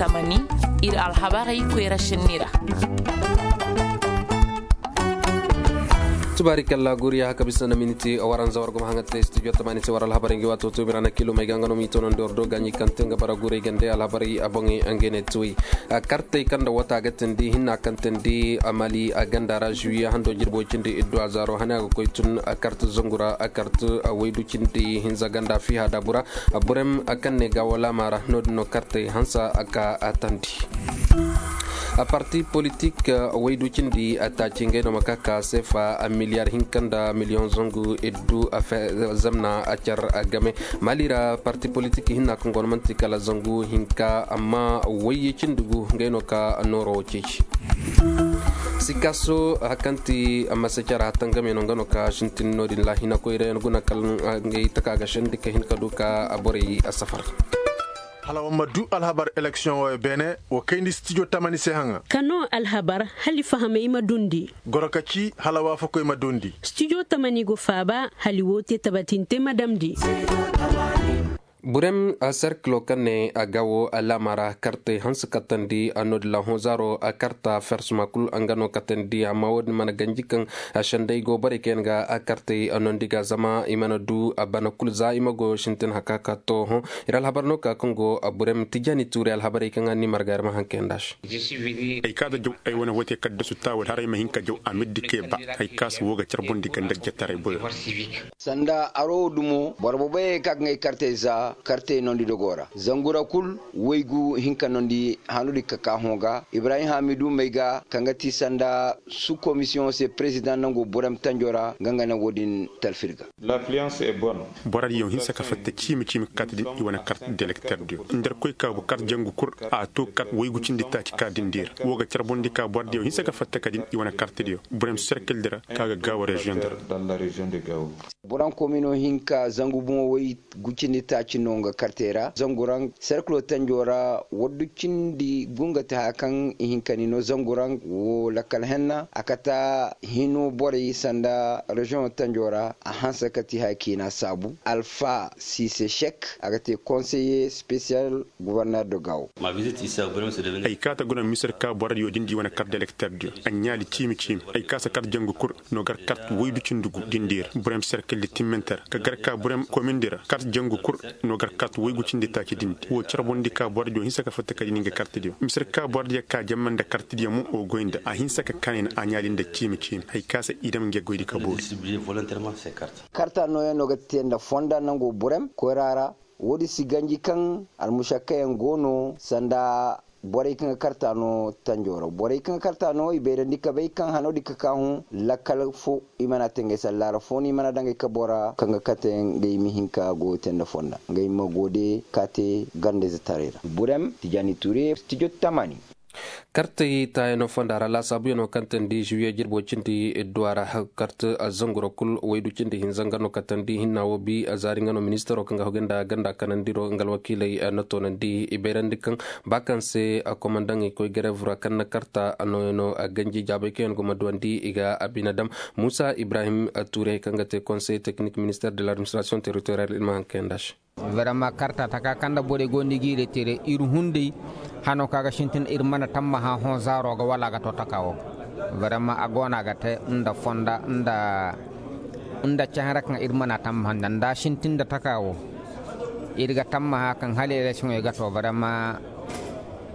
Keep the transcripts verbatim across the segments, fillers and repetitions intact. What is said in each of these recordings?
Tamani, ir alhabarey koyra šenni ra. Tubaari kalla guriya haka bisa na miniti waranza war guma haŋa te studio tamani se war alhabarey ngi waato to mirana kilo may ga nga no mi tono ndi war do gaɲi kaŋ te nga bara guray gande alhabarey a boŋey nga ne tuwey. Kartey kaŋ da wata ga tindi hinna kaŋ tindi mali a ganda ra juwiye hando jirbo cindi iddu a zaaro hane a ga koy tun kart zangura kart waydu cindi hinza ganda fiha dabura. Burem kaŋ ne ga wala mara no din no kartey hansa a ka a tandi. A parti politik waydu cindi a taaci ngey no ma ka ka sefa miliyar hinka nda miliyoŋ zangu iddu a fe zamna a car a game. Mali ra parti politik hinna kaŋ go no manti kala zangu hinka amma wayye cindi gu ngey no ka nooro wo ceeci. Sikaso hakanti masa cara hatangame no nga no ka sintin no din lahina koyra yan guna kal ngay taka ga shandi ka hin ka du ka a borey a safar. Hala wa ma du alhabar election wo beene wa kayndi studio tamani se haŋa. Kano alhabar hali fahamay ma dundi. Goro ka ci hala waafakoy ma dundi. Studio tamani go faaba hali wo te tabatinte ma damndi. Burem serkilo kaŋ ne a ga wo alaama ra kartey hanse katandi a no-din ra hõ zaaro a karta fersuma kul nga no katandi amma wo-din mana ganji kaŋ sendey go borey kaŋ yaŋ ga a kartey nondi ga zama i mana du a bana kul za i ma go sintin haka ka to hõ. Ir alhabar no ka kaŋ go burem tijani tuuri alhabarey kaŋ a ni marga ir ma haŋ kayanda se. Ay ka da jaw ay wane hote kaddasu taawal haray ma hin ka jaw a mirdi kay ba. Ay ka si wo ga carbundi ganda jataray boyo. Sanda aro wo dumo boro boboyey ka ga ngay kartey za kartey nondi dogo ra zangu ra kul waygu hinka nondi hanudi ka ka hõ ga ibrahim hamidu may ga kaŋ ga ti sanda su komisiyoŋo se prezidaŋ nango burem tanjo ra nga nga nango din talfir ga. Borodiyo hinsa ka fatta ciimi ciimi ka kaati din i wane kart delekterdiyo nda ir koy kaabu kart jangu kul a to kart waygu cindi taaci ka din di ra wo ga carbundi ka borodiyo hinsa ka fatta ka din i wane kartdiyo burem serkildi ra ka ga gaawo reziyoŋ di ra. Boran komino hinka zangu boŋo way gucindi taaci no nga kartey ra zangu raŋ serkilo tanjo ra waddu cindi gu nga te haya kaŋ i hinka ni no zangu raŋ wo lakkal henna a kata hino borey sanda reziyoŋo tanjo ra a hanse ka ti haya kiina saabu alfa sise sek a ga te konseye spesiyal gubarner do gawo. Ay kaata guna misir ka borodiyo din di wane kart delekterdiyo a ɲaali ciimi ciimi ay kaasa kart jangu kul no gar kart waydu cindi gu din di ra burem serkildi timminter ka gar ka burem komindi ra kart jangu kul no gar kart waygu cindi taaci din di wo carbundi ka borodiyo hinsa ka fatta ka din nga kartdiyo misir ka borodiyo ka jamma nda kartdiyo mo wo goy nda a hinsa ka kanay na a ɲaali nda ciimi ciimi ay kaasa i dam nge goydi ka boori. Karta nooyaŋ no ga te nda fonda nango burem koyra ra. Woodi si ganji kaŋ almušakkayaŋ go no sanda borey kaŋ ga karta no tanjo ra borey kaŋ ga karta no i bayrandi ka bay kaŋ hano di ka ka hõ lakkal fo i mana te ngey sallaara fo no i mana daŋ ngey kabo ra kaŋ ga kate ngey ma hin ka go te nda fonda ngey ma go de ka te gandayze taray ra burem tijani ture studio tamani. Kartey taayano fonda ra laasaabuyaŋo kaŋ teendi juwiye jirbo cindi idduwa ra kart zanguro kul waydu cindi hinza nga no katandi hinna wo bi zaari nga no ministaro kaŋ ga hogay nda ganda kanandiro nga alwakiiley na toonandi i bayrandi kaŋ ba kaŋ se komandaŋey koy gareevu ra kaŋ na karta nooyaŋo ganji jaabay kaŋ yaŋ go ma duwandi i ga abinadam. Muusa ibrahim tuurey kaŋ ga te konsey teknik minister de l'administration territorial ir ma haŋ kayanda se. Vraiment karta taka kaŋ nda borey go nda i g'i retere ir hunday hano kaŋ a ga sintin ir mana tammaha hõ zaaro ga wala a ga to taka wo. Vraiment a go no a ga te nda fonda nda nda cahara kaŋ ir mana tammaha nda nda sintin nda taka wo. Ir ga tammaha kaŋ hala eleksiyoŋey ga to vraiment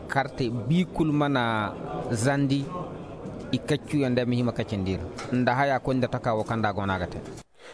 kartey bi kul mana zandi. I kaccuyaŋ day ma hima kacindi ir nda haya koy nda taka wo kaŋ nda a go no a ga te.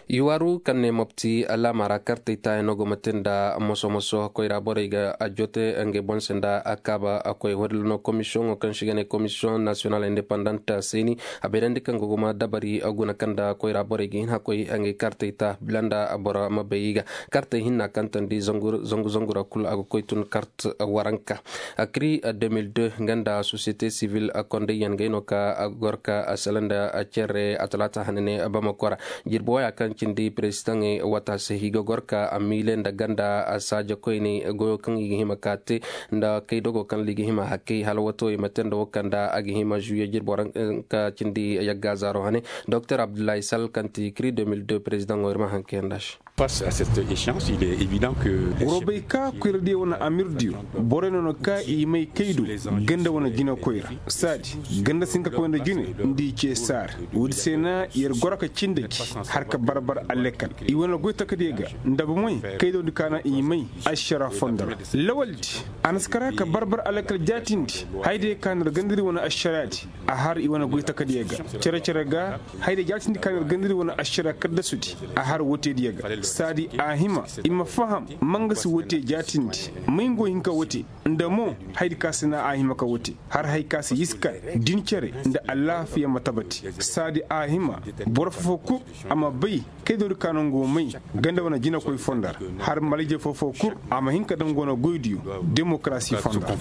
I waaru kaŋ ne mopti alaama ra kartey taayaŋo go ma te nda moso moso koyra borey ga a jote ngey boŋ se nda a kaaba a koy woodin no komisiyoŋo kaŋ se i ga ne komisiyoŋ nasiyonal indepandant seeni a bayrandi kaŋ ga go ma dabari guna kaŋ nda koyra borey ga hin a koy ngey kartey ta bila nda boro ma bay i ga. Kartey hinna kaŋ teendi zangu zangu ra kul a ga koy tun kart waranka. Akri deux mille deux nga nda sosiyete sivil kondayyaŋ ngey no ka gor ka sala nda cere a talaata hane ne bamako ra. Jirbi waya. Kaŋ cindi perezitaŋey wata se i ga goro ka a miile nda ganda saaja koyney goyo kaŋ i ga hima ka te nda kaydogo kaŋ ra i ga hima hakkey hala wato i ma te nda wo kaŋ ra a ga hima zuwiye jirbo ra. Ka cindi yagga zaaro hane doktor abdullahi sal kaŋ ti kiri deux mille deux perezidaŋo ir ma haŋ kayanda se. Face à cette échéance il est évident que. Woro bay ka koyradiyo wane amirdiyo borey no na ka i may kaydo ganda wane jinakoy ra. Saadi ganda si hin ka koy nda jine nda i ce saar. Woodi se na yer goro ka cindi gi har ka barbar alekal i wane goy takadiyo ga nda ba moy kaydodi ka na i may ašara fondo ra. Lawaldi a na si kara ka barbar alekal jaatindi haydiyo ka na ir gandadi wane ašaraadi. A har i wane goy takadiyo ga cere-cere ga haydiyo jaatindi ka na ir gandadi wane ašara kaddasudi. A har wootediyo ga saadi a hima i ma faham mangasi woote jaatindi may ngo hin ka woote nda mo haydi ka si na a hima ka woote har hay ka si yiska din cere nda alaafiya ma tabati. Saadi a hima boro fofo kul a ma bay kaydodi ka no ngo may ganda wane jinakoy fondo ra har malije fofo kul a ma hin ka daŋ go no goydiyo demokarasi fondo ra.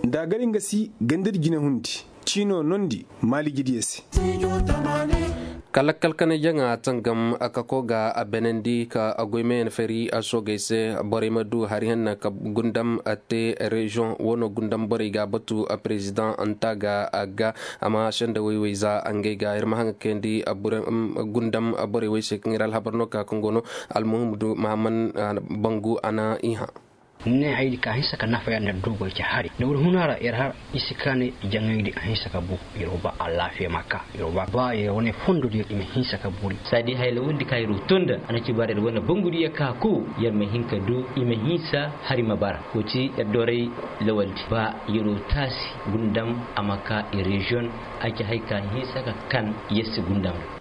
Nda a gar nga si gandadi jinahundi ciino nondi maalijidiyo se. Kala kalkanay jaŋa tangam a kako ga a benandi ka a goymayan fari a soogey se borey ma du hari hanna ka gundam a te reziyoŋ wano gundam borey ga a batu a perezidaŋ nta ga a ga. Amma senda woy-woy za ngey ga ir ma haŋ ga kayandi gundam borey woy se kaŋ ir alhabar no ka kaŋ go no almuhimmu du mahamman bangu a na i hã. Ni ne haydi ka hinsa ka nafa yaŋ nda doogey ca hari nda wuri huna ra yer har i si kaanay jaŋaydi a hinsa ka bu. Yer wo ba alaafiya ma ka yer wo ba ba yer wane fondodiyo i ma hinsa ka bori saadi hayla wondi ka yer wo too nda a na ci bara yer wane bangudiyo ka ko yer ma hin ka du i ma hinsa hari ma bara wo ci yer doray lawaldi ba yer wo taasi gundam a ma ka i reziyoŋ. A ci hay ka hinsa ka kan yer si gundam ra.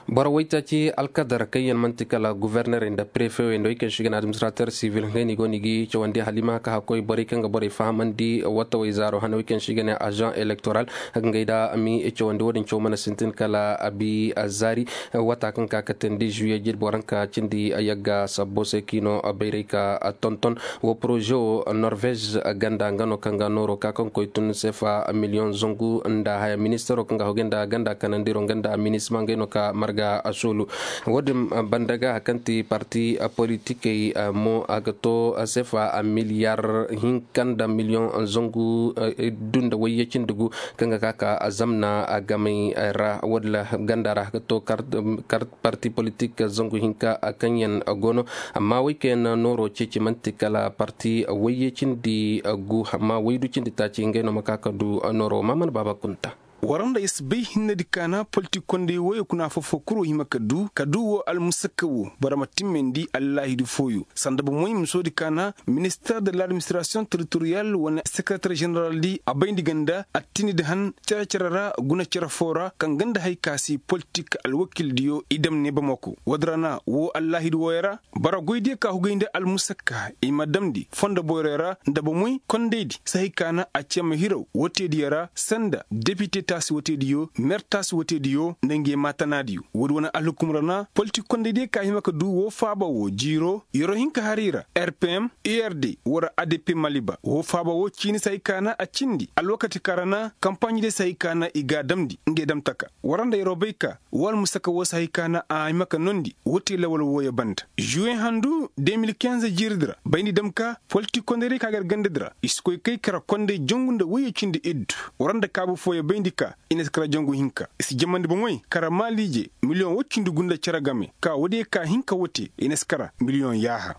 Boro waytaaci alkadar kaŋ yaŋ man'ti kala guvernerey nda prefewey nda wey kaŋ se i ga ne administrater sivil ngey no i go no i ga cawandi hala i ma ka hakkoy borey kaŋ ga borey fahamandi watawey zaaro hane wey kaŋ se i ga ne azaŋ elektoral. Ngey da a m'i cawandi wo-din caw mana sintin kala a bi a zaari wata kaŋ ka katandi zuwiye jirbi waranka cindi yagga sabbo se kaŋ i no bayray ka tonton. Wo poroze wo norvez ganda nga no kaŋ ga nooro ka kaŋ koy tun sefa miliyoŋ zangu nda haya ministaro kaŋ ga hogay nda ganda kanandiro nga nda minisma ngey no ka marga a soolu. Wo-din banda ga hari kaŋ ti parti politikey mo a ga to sefa miliyar hinka nda miliyoŋ zangu du nda wayye cindi gu kaŋ ga ka ka zamna gamay ra wo-din ra ganda ra a ga to kar parti politik zangu hinka kaŋ yaŋ go no. Amma wey kaŋ yaŋ na nooro ceeci man'ti kala parti wayye cindi gu amma waydu cindi taaci ngey no ma ka ka du nooro ma mana baaba kunta. War nda i si bay hinnedi ka na politik kondey wooyo kuna foo-foo kul wo hima ka du ka du wo almusakka wo boro ma timmandi allaahidu fooyo sanda bomoy misoodi ka na minister de l'administration territorial wane sekereter ženeraldi a bayndi ga nda attinidi han cere-cere ra guna cere foo ra kaŋ ga nda hay ka si politik alwakildiyo i dam ne bamako woodi ra na woo allaahidu wooyo ra. Boro goydiyo ka hugay nda almusakka i ma damndi fondo boyroyo ra nda bomoy kondaydi sahay ka na a cee ma hiraw woteediyo ra sanda depite taasi woteediyo mer taasi woteediyo nda ngey maatanaadiyo woodi wane alhukum ra na politik kondaydiyo ka hima ka du woo faaba woo jiiro yeroo hinka haray ra rpm erd wara adp maliba woo faaba woo ciini sahay ka na a cindi alwakati ka ra na kampaaɲidiyo sahay ka na i g'a damndi ngey damtaka wara nda yeroo bay ka woo almusaka woo sahay ka na a hima ka noondi woo te lawal wooyo banda juwe handu de mil kinze jiiridi ra bayndi dam ka politik kondaydiyo ka gar gandadi ra i si koy kay kara konday jangu nda woyye cindi iddu wara nda kaabu fooyo bayndi ka i na si kara jangu hinka i si jamandi bomoy kara maaliije miliyoŋ woy cindi gu nda cere game ka woodiyo ka hinka woo te i na si kara miliyoŋ yaaha.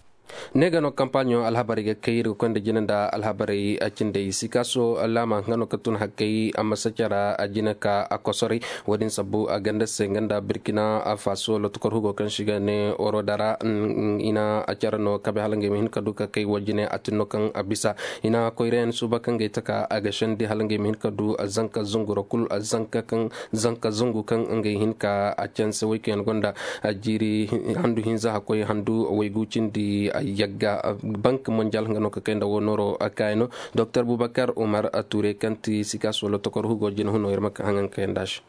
Ne ga no kampaaɲo alhabarey ga kay ir ga koy nda jina nda alhabarey cindey sikaaso laama nga no ka tun hakkey a ma sacara a jina ka a kosoray. Wo-din sabbu a ganda se nga nda birkina faso lotokor hugo kaŋ se i ga ne oro dara i na a care no kabe hala ngey ma hin ka du ka kay wo jine a tin no kaŋ a bisa i na koyrayaŋ suuba kaŋ gay taka a ga sendi hala ngey ma hin ka du zanka zunguro kul zanka kaŋ zanka zungu kaŋ ngey hin ka a canse woy kaŋ yaŋ gonda jiiri handu hinza hakkoy handu waygu cindi. Yagga bank mondial nga no ka kay nda wo nooro kaayi no. Doktor bubakar umar ture kaŋ ti sikaso lotokor hugo jina huno ir ma ka haŋaŋ kay nda se.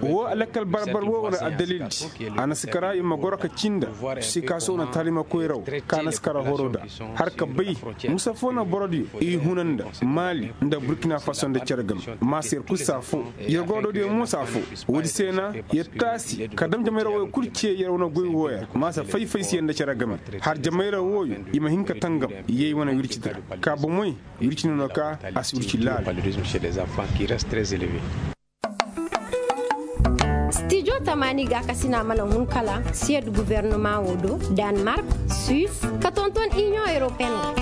Wo lakkal barbar wo wane addalildi. A na si kara i ma goro ka cinda sikaso na taalima koyra wo ka na si kara horo nda har ka bay musa fo na borodiyo i huna nda maali nda burkina faso nda cere game. Maasa yer kul saa fo yer goro do diyo mo saa fo. Woodi se na yer taasi ka dam jamayra wo kul ce yer wane goy wooya maasa fay-fay se yer nda cere game har jamayra wooyo i ma hin ka tangam. Yey wane wirci dira ka bomey wirci no no ka a si wirci laala. Stijo tamaani ga a kasina mana hun kala siyed guvernama wo do, danmark, suis, ka tonton inion europeen wo.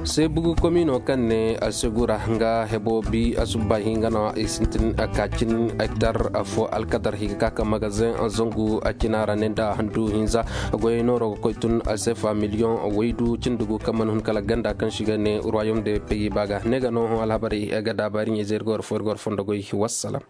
Seebugu komino kaŋ ne a segura nga hebo bi a subba hinga no i sintin a kaacin hektar a fo alkadar higa ka ka magazin a zangu a cina ra ne nda handu hinza. Goyey nooro ga koy tun a seefa miliyoŋ waydu cindugu kaŋ mana hun kala ganda kaŋ si ga ne ruwayom de peyi ba ga ne ga no hõ alhabarey ga daabari ɲey zey ir ga war fo ir ga war fondo goy. Wassalam.